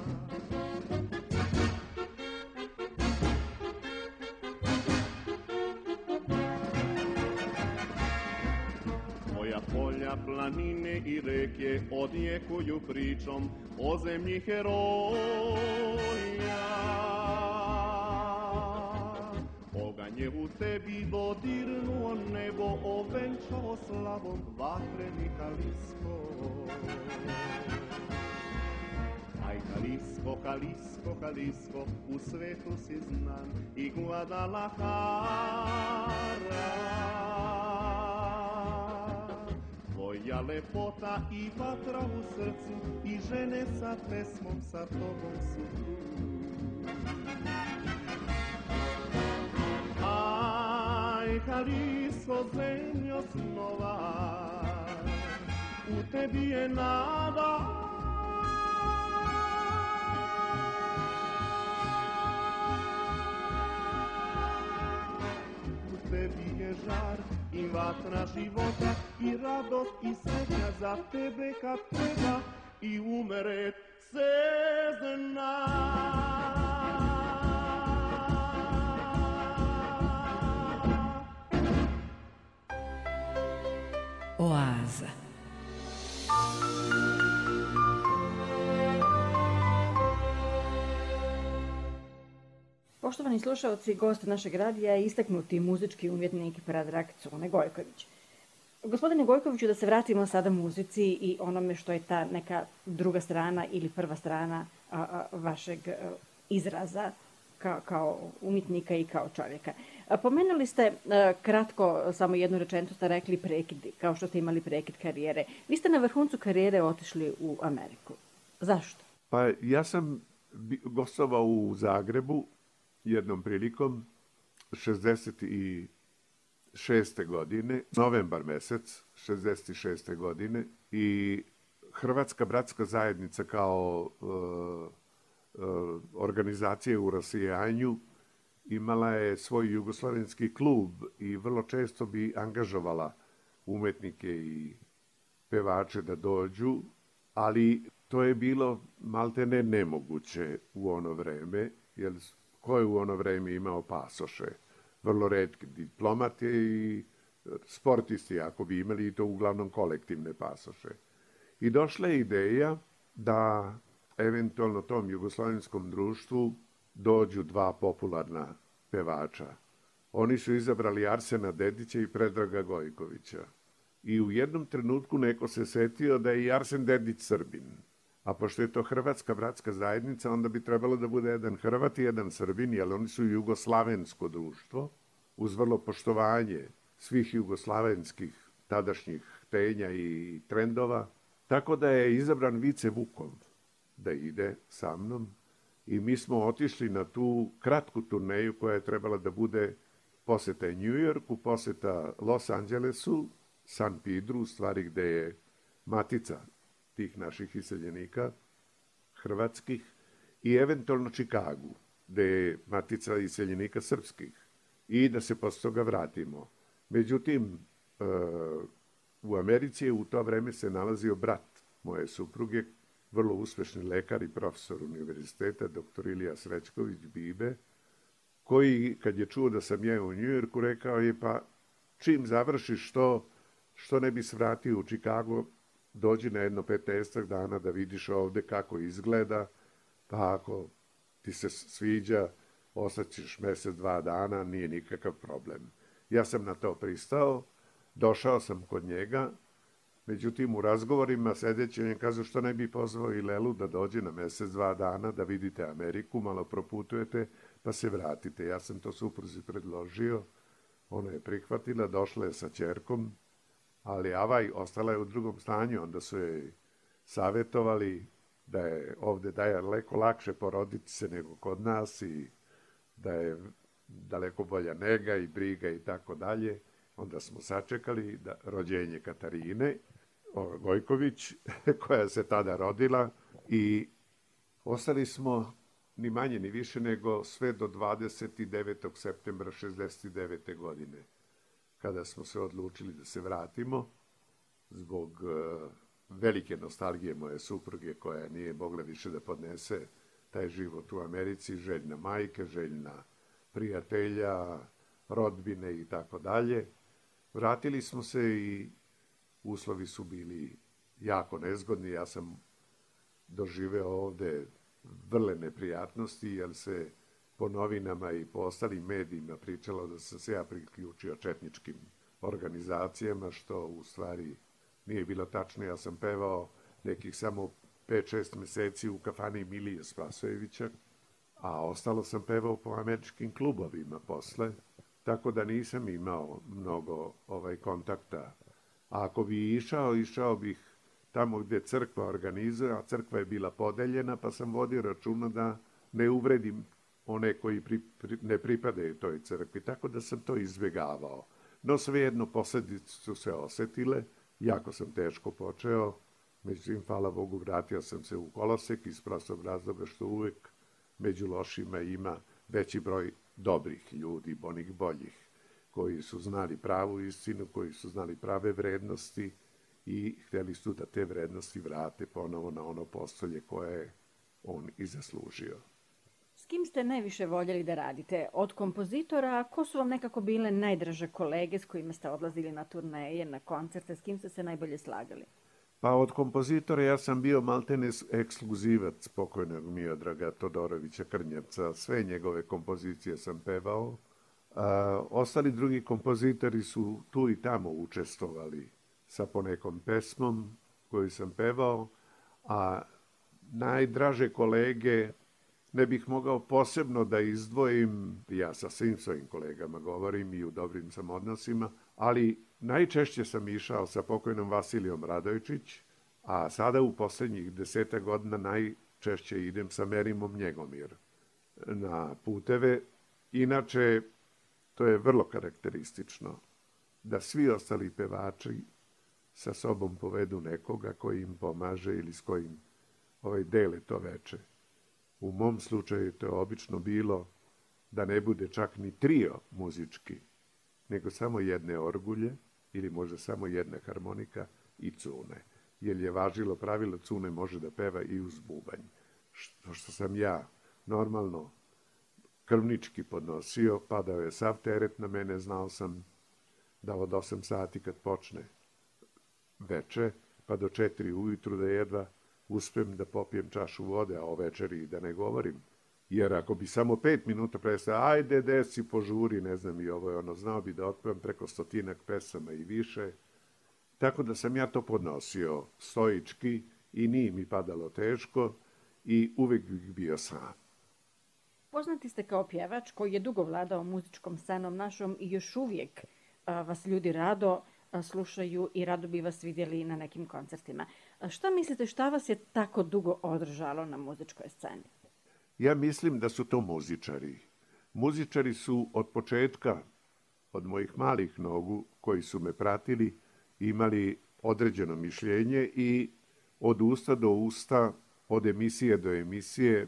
Tvoja polja, planine i reke odjekuju pričom o zemlji heroja. Oganj je u tebi dodirnuo nebo, ovenčao slavom vatreni Kalisko. Aj Kalisko, Kalisko, Kalisko, u svetu si znan i Guadalajara. Tvoja lepota i vatra u srcu i žene sa pesmom sa tobom su tu. Aj, Kalisko, zemljo snova, u tebi je nada. U tebi je žar i vatra života i radost i sreća za tebe kad treba i umret se zna. Oaza. Poštovani slušalci, gost našeg radija je istaknuti muzički umjetnik Predrag Cune Gojković. Gospodine Gojkoviću, da se vratimo sada muzici i onome što je ta neka druga strana ili prva strana vašeg izraza kao umjetnika i kao čovjeka. Pomenuli ste kratko, samo jednu rečenicu ste rekli prekidi, kao što ste imali prekid karijere. Vi ste na vrhuncu karijere otišli u Ameriku. Zašto? Pa ja sam gostovao u Zagrebu jednom prilikom 66. godine, novembar mesec 66. godine i Hrvatska bratska zajednica kao organizacija u rasijanju imala je svoj jugoslavenski klub i vrlo često bi angažovala umetnike i pevače da dođu, ali to je bilo maltene nemoguće u ono vreme, jer ko je u ono vreme imao pasoše? Vrlo retki diplomati i sportisti, ako bi imali, i to uglavnom kolektivne pasoše. I došla je ideja da eventualno tom jugoslavenskom društvu dođu dva popularna pevača. Oni su izabrali Arsena Dedića i Predraga Gojkovića. I u jednom trenutku neko se setio da je i Arsen Dedić Srbin. A pošto je to Hrvatska bratska zajednica, onda bi trebalo da bude jedan Hrvat i jedan Srbin, jer oni su jugoslavensko društvo, uz vrlo poštovanje svih jugoslavenskih tadašnjih htenja i trendova. Tako da je izabran Vice Vukov da ide sa mnom i mi smo otišli na tu kratku turneju koja je trebala da bude poseta New Yorku, poseta Los Angelesu, San Pedru, u stvari gde je matica tih naših iseljenika, hrvatskih, i eventualno Čikagu, gde je matica iseljenika srpskih, i da se posle toga vratimo. Međutim, u Americi je u to vreme se nalazio brat moje supruge, vrlo uspešni lekar i profesor univerziteta, dr. Ilija Srećković Bibe, koji, kad je čuo da sam ja u Njujorku, rekao je, pa čim završiš što ne bi se vratio u Čikago, dođi na jedno 15 dana da vidiš ovde kako izgleda, pa ako ti se sviđa, ostaćeš mesec, 2 dana, nije nikakav problem. Ja sam na to pristao, došao sam kod njega, međutim u razgovorima sedeći on je kazao što ne bi pozvao i Lelu da dođe na mesec, 2 dana, da vidite Ameriku, malo proputujete, pa se vratite. Ja sam to supruzi predložio, ona je prihvatila, došla je sa ćerkom, ali Avaj ostala je u drugom stanju, onda su joj savjetovali da je ovde daleko lakše poroditi se nego kod nas i da je daleko bolja nega i briga i tako dalje. Onda smo sačekali rođenje Katarine Gojković, koja se tada rodila, i ostali smo ni manje ni više nego sve do 29. septembra 69. godine, kada smo se odlučili da se vratimo zbog velike nostalgije moje supruge, koja nije mogla više da podnese taj život u Americi, željna majke, željna prijatelja, rodbine i tako dalje. Vratili smo se i uslovi su bili jako nezgodni. Ja sam doživeo ovde vrle neprijatnosti, jer se po novinama i po ostalim medijima pričalo da sam se ja priključio četničkim organizacijama, što u stvari nije bilo tačno. Ja sam pevao nekih samo 5-6 meseci u kafani Milije Spasojevića, a ostalo sam pevao po američkim klubovima posle, tako da nisam imao mnogo kontakta. A ako bi išao bih tamo gde crkva organizuje, a crkva je bila podeljena, pa sam vodio računa da ne uvredim one koji ne pripadaju toj crkvi, tako da sam to izbjegavao. No svejedno posledice su se osetile, jako sam teško počeo, međutim, hvala Bogu, vratio sam se u kolosek iz prostog razloga što uvek među lošima ima veći broj dobrih ljudi, onih boljih, koji su znali pravu istinu, koji su znali prave vrednosti i hteli su da te vrednosti vrate ponovo na ono postolje koje je on i zaslužio. S kim ste najviše voljeli da radite? Od kompozitora, ko su vam nekako bile najdraže kolege s kojima ste odlazili na turneje, na koncerte, s kim ste se najbolje slagali? Pa od kompozitora ja sam bio maltene ekskluzivac pokojnog Miodraga Todorovića Krnjevca. Sve njegove kompozicije sam pevao. Ostali drugi kompozitori su tu i tamo učestvovali sa ponekom pesmom koju sam pevao, a najdraže kolege ne bih mogao posebno da izdvojim, ja sa svim svojim kolegama govorim i u dobrim sam odnosima, ali najčešće sam išao sa pokojnom Vasilijom Radojičić, a sada u poslednjih 10 godina najčešće idem sa Merimom Njegomir na puteve. Inače, to je vrlo karakteristično da svi ostali pevači sa sobom povedu nekoga koji im pomaže ili s kojim dele to veče. U mom slučaju to je obično bilo da ne bude čak ni trio muzički, nego samo jedne orgulje ili možda samo jedna harmonika i cune. Jer je važilo pravilo cune može da peva i uz bubanj. Što sam ja normalno krvnički podnosio, padao je sav teret na mene, znao sam da od 8 sati kad počne veče, pa do 4 ujutru da jedva uspem da popijem čašu vode, a o večeri da ne govorim. Jer ako bi samo 5 minuta prestao, ajde desi, požuri, ne znam i ovo je ono, znao bi da otpevam preko 100 pesama i više. Tako da sam ja to podnosio stoički i nije mi padalo teško i uvek bih bio sam. Poznati ste kao pjevač koji je dugo vladao muzičkom scenom našom i još uvijek vas ljudi rado slušaju i rado bi vas vidjeli na nekim koncertima. Šta mislite, šta vas je tako dugo održalo na muzičkoj sceni? Ja mislim da su to muzičari. Muzičari su od početka, od mojih malih nogu koji su me pratili, imali određeno mišljenje i od usta do usta, od emisije do emisije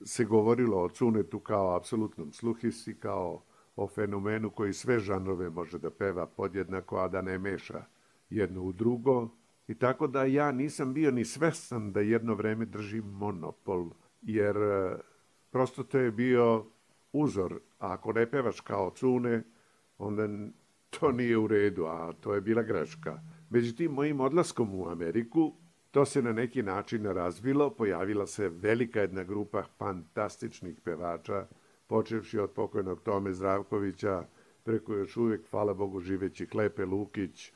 se govorilo o Cunetu kao apsolutnom sluhisti, kao o fenomenu koji sve žanrove može da peva podjednako, a da ne meša jedno u drugo. I tako da ja nisam bio ni svestan da jedno vreme držim monopol, jer prosto to je bio uzor. A ako ne pevaš kao Cune, onda to nije u redu, a to je bila greška. Međutim, mojim odlaskom u Ameriku, to se na neki način razvilo, pojavila se velika jedna grupa fantastičnih pevača, počevši od pokojnog Tome Zdravkovića, preko još uvijek, hvala Bogu, živeći Klepe Lukić,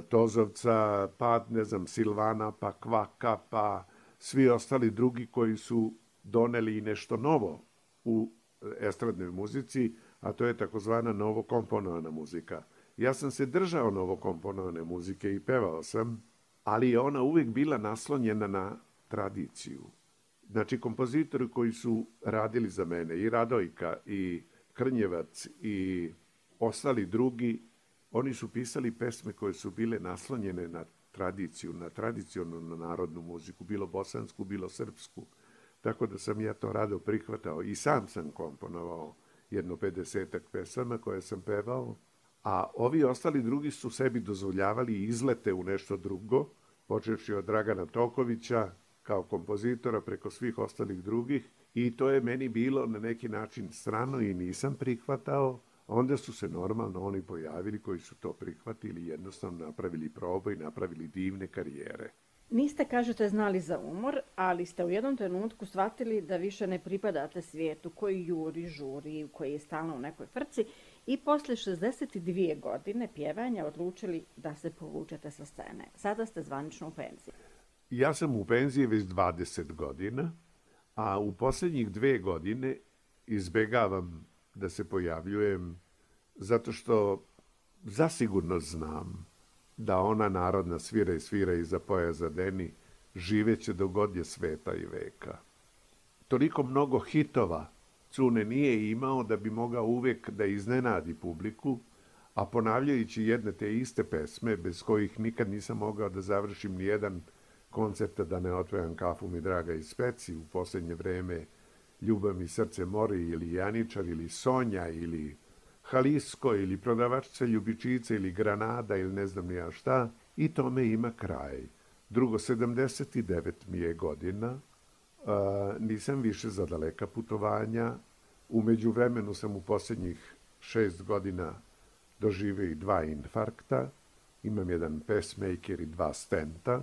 Tozovca, pa, ne znam, Silvana, pa Kvaka, pa svi ostali drugi koji su doneli nešto novo u estradnoj muzici, a to je takozvana novokomponovana muzika. Ja sam se držao novokomponovane muzike i pevao sam, ali je ona uvijek bila naslonjena na tradiciju. Znači, kompozitori koji su radili za mene, i Radojka, i Krnjevac, i ostali drugi, oni su pisali pesme koje su bile naslonjene na tradiciju, na tradicionalnu narodnu muziku, bilo bosansku, bilo srpsku. Tako da sam ja to rado prihvatao i sam sam komponovao jedno 50-ak pesama koje sam pevao, a ovi ostali drugi su sebi dozvoljavali izlete u nešto drugo, počevši od Dragana Tokovića kao kompozitora preko svih ostalih drugih, i to je meni bilo na neki način strano i nisam prihvatao. Onda su se normalno oni pojavili koji su to prihvatili, jednostavno napravili probu i napravili divne karijere. Niste, kažete, znali za umor, ali ste u jednom trenutku shvatili da više ne pripadate svijetu koji juri, žuri, koji je stalno u nekoj frci i posle 62 godine pjevanja odlučili da se povučete sa scene. Sada ste zvanično u penziji. Ja sam u penziji već 20 godina, a u posljednjih 2 godine izbegavam da se pojavljujem zato što zasigurno znam da ona narodna svira i svira iza poja zadeni živeće do god je sveta i veka. Toliko mnogo hitova Cune nije imao da bi mogao uvijek da iznenadi publiku, a ponavljajući jedne te iste pesme, bez kojih nikad nisam mogao da završim nijedan koncert, da ne otvoram Kafu mi draga iz Speci, u posljednje vreme Ljubav mi srce mori, ili Janičar, ili Sonja, ili Halisko, ili Prodavačica ljubičica, ili Granada, ili ne znam ni ja šta, i tome ima kraj. Drugo, 79 mi je godina, nisam više za daleka putovanja, u međuvremenu sam u posljednjih 6 godina doživio i 2 infarkta, imam jedan pacemaker i 2 stenta,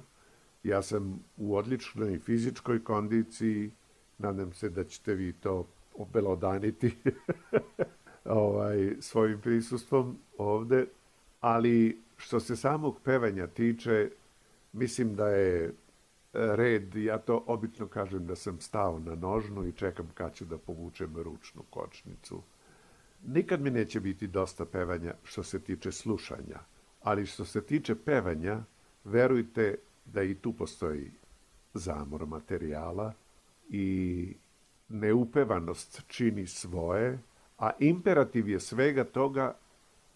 ja sam u odličnoj fizičkoj kondiciji, nadam se da ćete vi to obelodaniti svojim prisustvom ovde, ali što se samog pevanja tiče, mislim da je red, ja to obično kažem da sam stao na nožnu i čekam kad ću da povučem ručnu kočnicu. Nikad mi neće biti dosta pevanja što se tiče slušanja, ali što se tiče pevanja, verujte da i tu postoji zamor materijala i neupevanost čini svoje, a imperativ je svega toga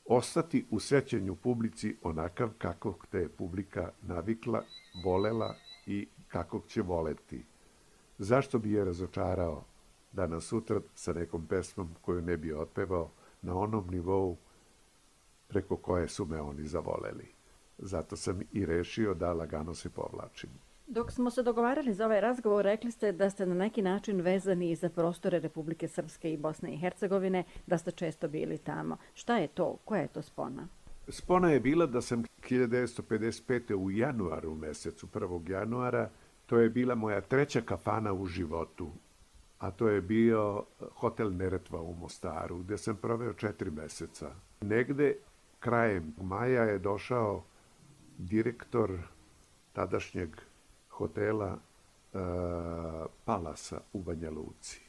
ostati u sećanju publici onakav kakvog te je publika navikla, volela i kakvog će voleti. Zašto bi je razočarao danas sutra sa nekom pesmom koju ne bi otpevao na onom nivou preko koje su me oni zavoleli. Zato sam i rešio da lagano se povlačim. Dok smo se dogovarali za ovaj razgovor, rekli ste da ste na neki način vezani i za prostore Republike Srpske i Bosne i Hercegovine, da ste često bili tamo. Šta je to? Koja je to spona? Spona je bila da sam 1955. u januaru mesecu, 1. januara, to je bila moja 3. kafana u životu, a to je bio hotel Neretva u Mostaru, gde sam proveo 4 meseca. Negde krajem maja je došao direktor tadašnjeg hotela Palasa u Banja Luci.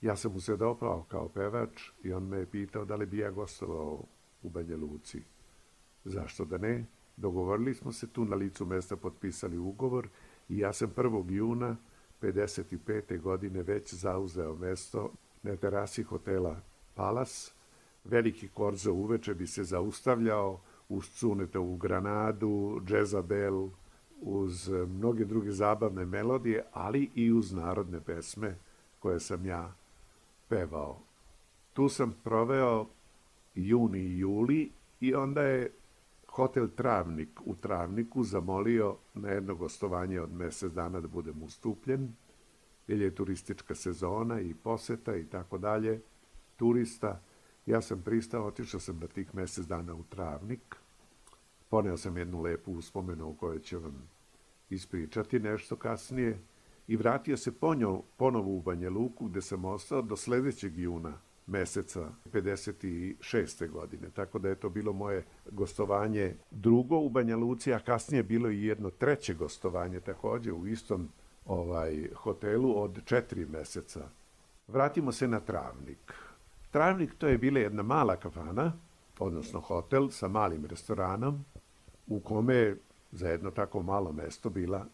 Ja sam mu se dopao kao pevač i on me je pitao da li bi ja gostovao u Banja Luci. Zašto da ne? Dogovorili smo se tu, na licu mesta potpisali ugovor i ja sam 1. juna 1955. godine već zauzeo mesto na terasi hotela Palas. Veliki korzo uveče bi se zaustavljao uz Cunetovu Granadu, Džezabel, uz mnoge druge zabavne melodije, ali i uz narodne pesme koje sam ja pevao. Tu sam proveo juni i juli i onda je hotel Travnik u Travniku zamolio na jedno gostovanje od mesec dana da budem ustupljen, jer je turistička sezona i poseta i tako dalje, turista. Ja sam pristao, otišao sam na tih mesec dana u Travnik, poneo sam jednu lepu uspomenu o kojoj ću vam ispričati nešto kasnije i vratio se ponovo u Banja Luku, gde sam ostao do sledećeg juna meseca 56. godine. Tako da je to bilo moje gostovanje drugo u Banja Luci, a kasnije bilo i jedno 3. gostovanje takođe u istom hotelu od 4 meseca. Vratimo se na Travnik. Travnik to je bila jedna mala kafana, odnosno hotel sa malim restoranom, u kome je za jedno tako malo mesto bila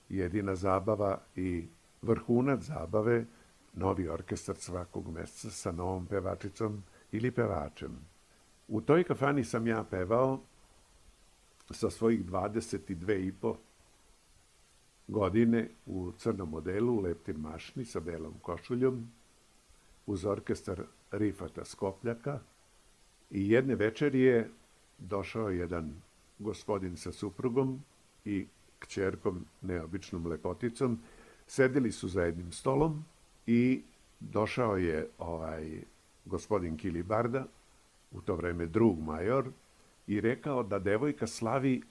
jedina zabava i vrhunac zabave novi orkestar svakog meseca sa novom pevačicom ili pevačem. U toj kafani sam ja pevao sa svojih 22,5 godine u crnom modelu, u leptir mašni sa belom košuljom, uz orkestar Rifata Skopljaka i jedne večeri je došao jedan gospodin sa suprugom i kćerkom, neobičnom lepoticom. Sedeli su za jednim stolom i došao je gospodin Kilibarda, u to vreme drug major, i rekao da devojka slavi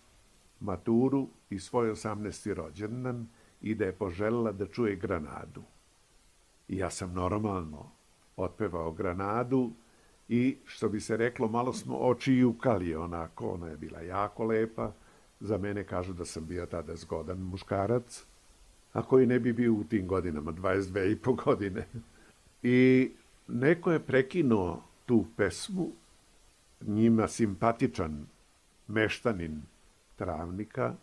maturu i svoj 18. rođendan i da je poželjela da čuje Granadu. I ja sam normalno otpevao Granadu i, što bi se reklo, malo smo oči jukali onako, ona je bila jako lepa. Za mene kažu da sam bio tada zgodan muškarac, a koji ne bi bio u tim godinama, 22,5 godine. I neko je prekinuo tu pesmu, njima simpatičan meštanin Travnika,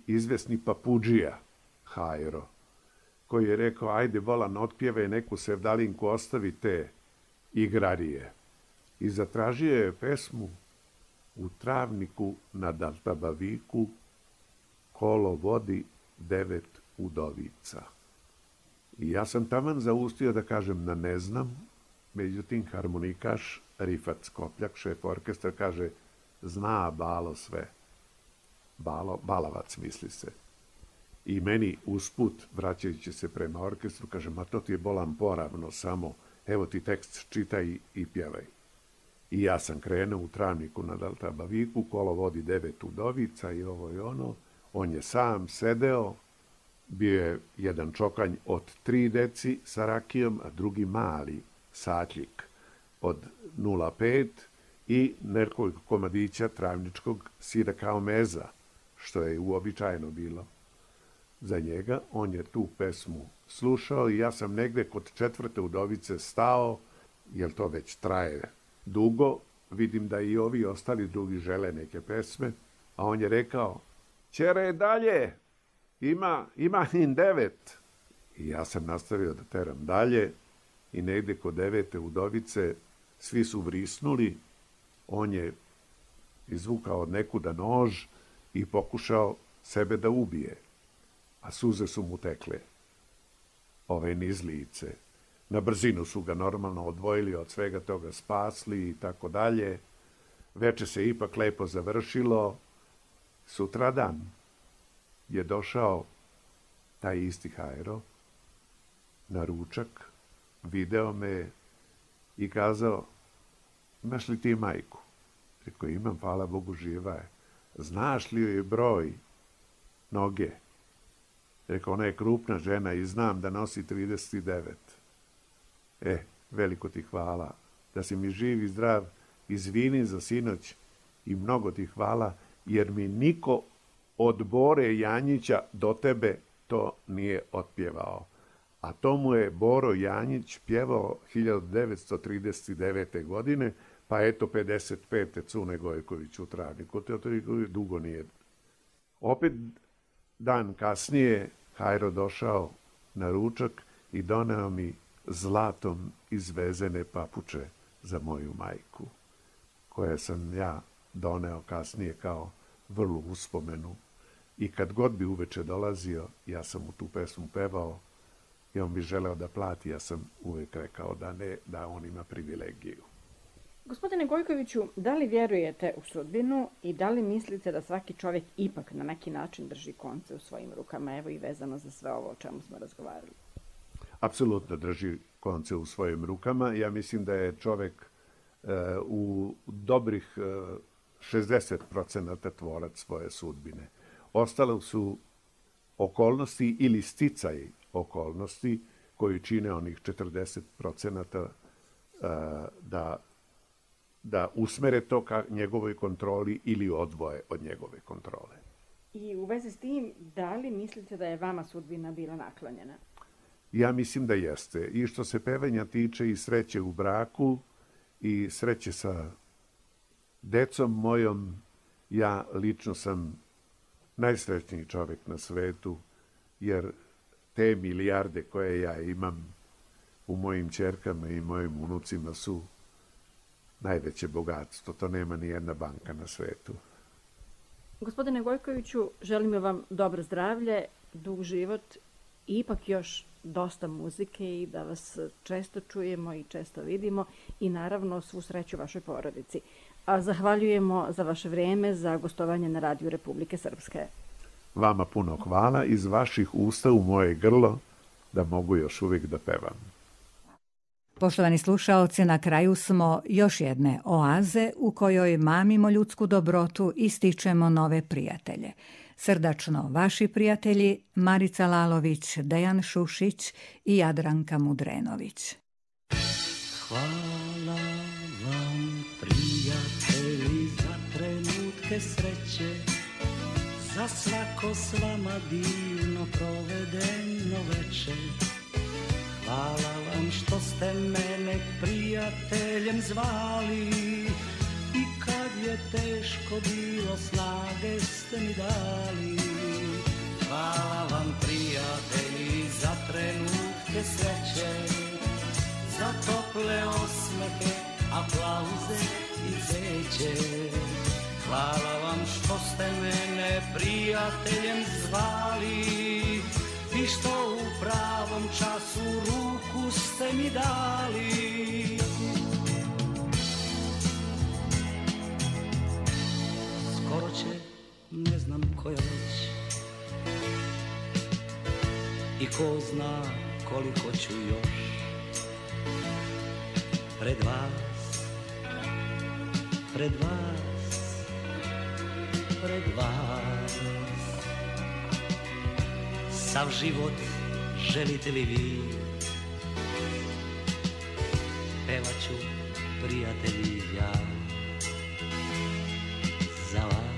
izvesni Papudžija Hajro, koji je rekao, ajde Volan, otpjevaj neku sevdalinku, ostavi te igrarije. i zatražio je pesmu U travniku nad Altabaviku kolo vodi 9 udovica. I ja sam taman zaustio da kažem da ne znam, međutim harmonikaš Rifat Skopljak, šef orkestra, kaže zna Balo sve. Balavac misli se. I meni usput, vraćajući se prema orkestru, kaže, ma to ti je bolan poravno, samo evo ti tekst, čitaj i pjevaj. I ja sam krenuo U travniku nad Altabaviku, kolo vodi 9 udovica i ovo i ono. On je sam sedeo, bio je jedan čokanj od 3 deci sa rakijom, a drugi mali satljik od 0,5 i nekoliko komadića travničkog sira kao meza, što je uobičajeno bilo za njega. On je tu pesmu slušao i ja sam negde kod 4. udovice stao, jer to već traje dugo. Vidim da i ovi ostali drugi žele neke pesme, a on je rekao, ćere dalje, ima im 9. I ja sam nastavio da teram dalje i negde kod 9. udovice svi su vrisnuli. On je izvukao od nekuda nož i pokušao sebe da ubije, a suze su mu tekle niz lice. Na brzinu su ga normalno odvojili od svega toga, spasli i tako dalje. Veče se ipak lepo završilo. Sutradan je došao taj isti Hajro na ručak, video me i kazao, imaš li ti majku? Rekao, imam, hvala Bogu, živa je. Znaš li joj broj noge? Rekao, ona je krupna žena i znam da nosi 39. Veliko ti hvala. Da si mi živ i zdrav, izvini za sinoć i mnogo ti hvala, jer mi niko od Bore Janjića do tebe to nije otpjevao. A to mu je Boro Janjić pjevao 1939. godine, pa eto 55. Cune Gojković u travniku. To dugo nije. Opet dan kasnije Hajro došao na ručak i doneo mi zlatom izvezene papuče za moju majku, koje sam ja doneo kasnije kao vrlu uspomenu. I kad god bi uveče dolazio, ja sam mu tu pesmu pevao i on bi želeo da plati, ja sam uvek rekao da ne, da on ima privilegiju. Gospodine Gojkoviću, da li vjerujete u sudbinu i da li mislite da svaki čovjek ipak na neki način drži konce u svojim rukama, evo i vezano za sve ovo o čemu smo razgovarali? Apsolutno drži konce u svojim rukama. Ja mislim da je čovek u dobrih 60% tvorac svoje sudbine. Ostalo su okolnosti ili sticaj okolnosti koji čine onih 40% da usmere to ka njegovoj kontroli ili odvoje od njegove kontrole. I u vezi s tim, da li mislite da je vama sudbina bila naklonjena? Ja mislim da jeste. I što se pevanja tiče i sreće u braku i sreće sa decom mojom, ja lično sam najsrećniji čovjek na svetu, jer te milijarde koje ja imam u mojim ćerkama i mojim unucima su najveće bogatstvo. To nema ni jedna banka na svetu. Gospodine Gojkoviću, želimo vam dobro zdravlje, dug život i ipak još dosta muzike i da vas često čujemo i često vidimo i naravno svu sreću vašoj porodici. A zahvaljujemo za vaše vrijeme, za gostovanje na Radiju Republike Srpske. Vama puno hvala, iz vaših usta u moje grlo da mogu još uvijek da pevam. Poštovani slušaoci, na kraju smo još jedne oaze u kojoj mamimo ljudsku dobrotu i stičemo nove prijatelje. Srdačno vaši prijatelji Marica Lalović, Dejan Šušić i Jadranka Mudrenović. Hvala vam prijatelji za trenutke sreće, za svako s vama divno provedeno večer. Hvala vam što ste mene prijateljem zvali i kad je teško bilo snage ste mi dali. Hvala vam prijatelji za trenutke sreće, za tople osmehe aplauze i cveće. Hvala vam što ste mene prijateljem zvali i što u pravom času ruku ste mi dali. Skoro će, ne znam koja već, i ko zna koliko ću još pred vas, pred vas, pred vas. Sav život želite li vi, pevat ću, prijatelji, ja za vas.